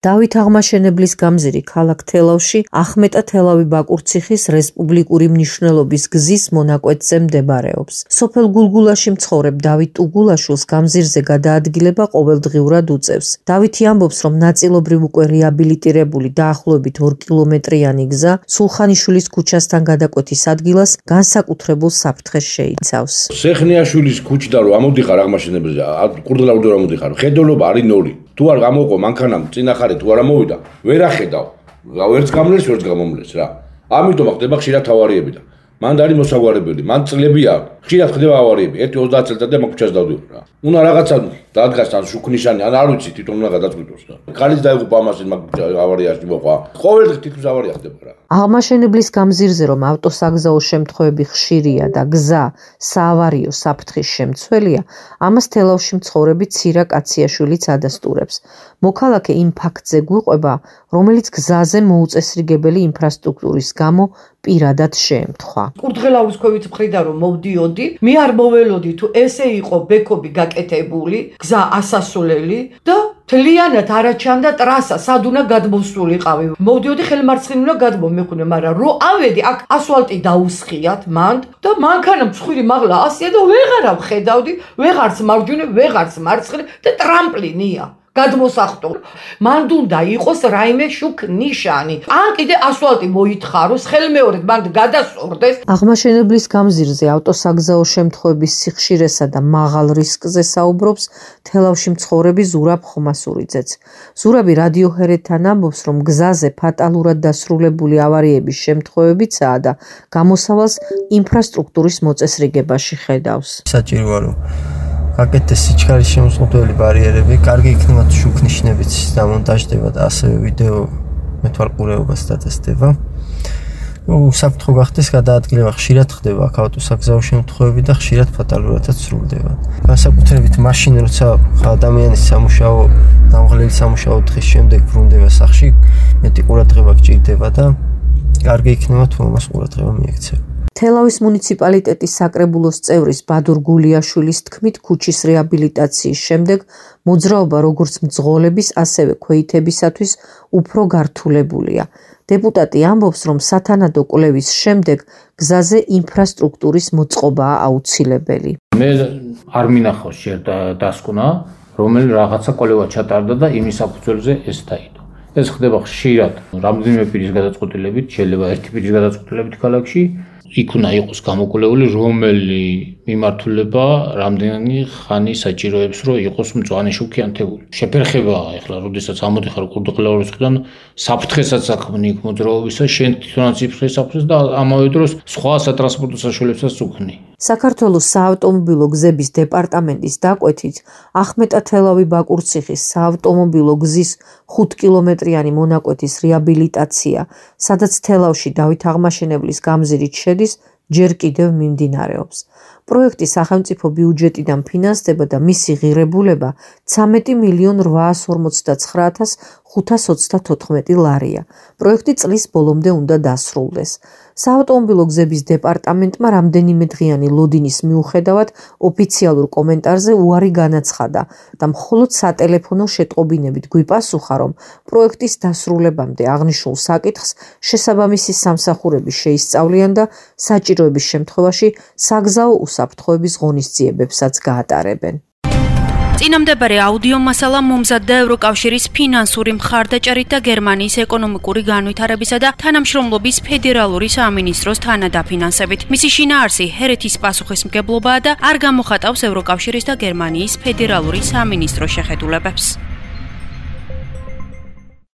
დავით აღმაშენებლის გამზირი ქალაქ თელავში ახმეტა თელავი-ბაკურციხის რესპუბლიკური მნიშვნელობის გზის მონაკვეთზე მდებარეობს. სოფელ გულგულაში მცხოვრებ დავით ტუგულაშვილს გამზირზე გადაადგილება ყოველდღიურად უწევს. დავითი ამბობს, რომ ნაწილობრივ უკვე რეაბილიტირებული დაახლოებით 2 კილომეტრიანი გზა სულხანიშვილის ქუჩასთან გადაკვეთის ადგილას განსაკუთრებულ საფრთხეს შეიცავს. სეხნიაშვილის ქუჩიდან რომ ამოდიხარ აღმაშენებელზე, კურდღელავდო რომ ამოდიხარ, ხედოლობა არის 0. თუ არ გამოყო მანქანამ წინახარი თუ არ ამოვიდა, ვერ ახედავ. ვერც გამლეს, ვერც გამომლეს რა. ამიტომ ხდება ხშირად ავარიები და მან არის მოსაგვარებელი, მან წლებია, ხშირად ხდება ავარიები. 1-30 წელიწადია მაგ ქუჩას დავდივარ რა. უნდა რაღაცა დადგას ან შუქნიშანი, ან არ ვიცი, თვითონ უნდა გადაწყვიტოს რა. ხალხი დაიღუპა ამასე მაგ ავარიაში მოყვა. ყოველდღე თითქმის ავარია ხდება რა. აღმაშენებლის გამზირზე რომ ავტოსაგზაო შემთხვევები ხშირია და გზა საავარიო საფრთხის შემცველია, ამას თელავში მცხოვრები ცირა კაციაშვილიც ადასტურებს. მოქალაქე იმ ფაქტზე გვიყვება, რომელიც გზაზე მოუწესრიგებელი ინფრასტრუქტურის გამო პირადად შეემთხვა. კურდღელავის ქვევით მხრიდან რომ მოვდიოდი, მე არ მოველოდი თუ ესე იყო ბექობი გაკეთებული, გზა ასასვლელი და თლიანად არაჩანდა ტრასა, სად უნდა გადმოსულიყავი. მოვდიოდი ხელმარცხნივ უნდა გადმომეხვინე, მაგრამ რო ავედი, აქ ასფალტი დაუსხიათ მანდ და მანქანა მსხვილი მაღლა ასია და ვეღარ ვხედავდი, ვეღარც მარჯვნივ, ვეღარც მარცხნივ და ტრამპლინია. გადმოსახტო. მანდ უნდა იყოს რაიმე შუქ ნიშანი. ან კიდე ასფალტი მოითხაროს, ხელმეორედ მანდ გადასწორდეს. აღმაშენებლის გამზირზე ავტოსაგზაო შემთხვევების სიხშირესა და მაღალ რისკზე საუბრობს თელავში მცხოვრები ზურაბ ხომასურიძეც. ზურაბი რადიოჰერეთთან ამბობს, რომ გზაზე ფატალურად დასრულებული ავარიების შემთხვევებიცაა და გამოსავალს ინფრასტრუქტურის მოწესრიგებაში ხედავს. საჭიროა რომ გაკეთდეს სიჩქარის შემოსყიდველი ბარიერები, კარგი იქნება თუ შუქნიშნებიც დამონტაჟდება და ასევე ვიდეო მეთვალყურეობას დაწესდება. საფრთხო გახდეს გადაადგილება ხშირად ხდება აქ ავტოსაგზაო შემთხვევები და ხშირად ფატალურადაც სრულდება. განსაკუთრებით მაშინ, როცა ადამიანის სამუშაო, დამღლელი სამუშაო დღის შემდეგ ბრუნდება სახლში, მეტი ყურადღება გჭირდება და კარგი იქნება თუ ამას ყურადღება მიექცევა. თელავის მუნიციპალიტეტის საკრებულოს წევრის ბადურ გულიაშვილის თქმით, ქუჩის რეაბილიტაციის შემდეგ მოძრაობა როგორც მძღოლების, ასევე ქვეითებისათვის უფრო გართულებულია. დეპუტატი ამბობს, რომ სათანადო კვლევის შემდეგ გზაზე ინფრასტრუქტურის მოწყობაა აუცილებელი. მე არ მინახავს ჯერ დასკვნა, რომელი რაღაცა კვლევა ჩატარდა და იმის საფუძველზე ეს დაიდო. ეს ხდება ხშირად, რამდენიმე პირის გადაწყვეტილებით, შეიძლება ერთი პირის გადაწყვეტილებით ქალაქში. იქ უნდა იყოს გამოკვლეული, რომელი მიმართულება რამდენი ხანი საჭიროებს, რომ იყოს მწვანე შუქი ან თეგური. შეფერხება ახლა, როდესაც ამოდიხარ კურდღელავის მხრიდან, საფრთხესაც აქმნი იქ მოძრაობისა, შენ თვითონაც იფრთხეს საფრთხეს და ამავე დროს სხვა სატრანსპორტო საშუალებასაც უქმნი. საქართველოს საავტომობილო გზების დეპარტამენტის დაკვეთით, ახმეტა თელავი-ბაკურციხის საავტომობილო გზის 5 კილომეტრიანი მონაკვეთის რეაბილიტაცია, სადაც თელავში დავით აღმაშენებლის გამზირით შედის, ჯერ კიდევ მიმდინარეობს. პროექტი სახელმწიფო ბიუჯეტიდან ფინანსდება და მისი ღირებულება 13.449.524 ლარია. პროექტი წლის ბოლომდე უნდა დასრულდეს. საავტომობილო გზების დეპარტამენტმა რამდენიმე დღიანი ლოდინის მიუხედავად ოფიციალურ კომენტარზე უარი განაცხადა და მხოლოდ სატელეფონო შეტყობინებით გვიპასუხა, რომ პროექტის დასრულებამდე აღნიშნულ საკითხს შესაბამისი სამსახურები შეისწავლიან და საჭიროების შემთხვევაში საგზაო უსაფრთხოების ღონისძიებებსაც გაატარებენ. წინამდებარე აუდიო მასალა მომზადდა ევროკავშირის ფინანსური მხარდაჭერით და გერმანიის ეკონომიკური განვითარებისა და თანამშრომლობის ფედერალური სამინისტროს თანადაფინანსებით. მისი შინაარსი ჰერეთის პასუხისმგებლობაა და არ გამოხატავს ევროკავშირის და გერმანიის ფედერალური სამინისტროს შეხედულებებს.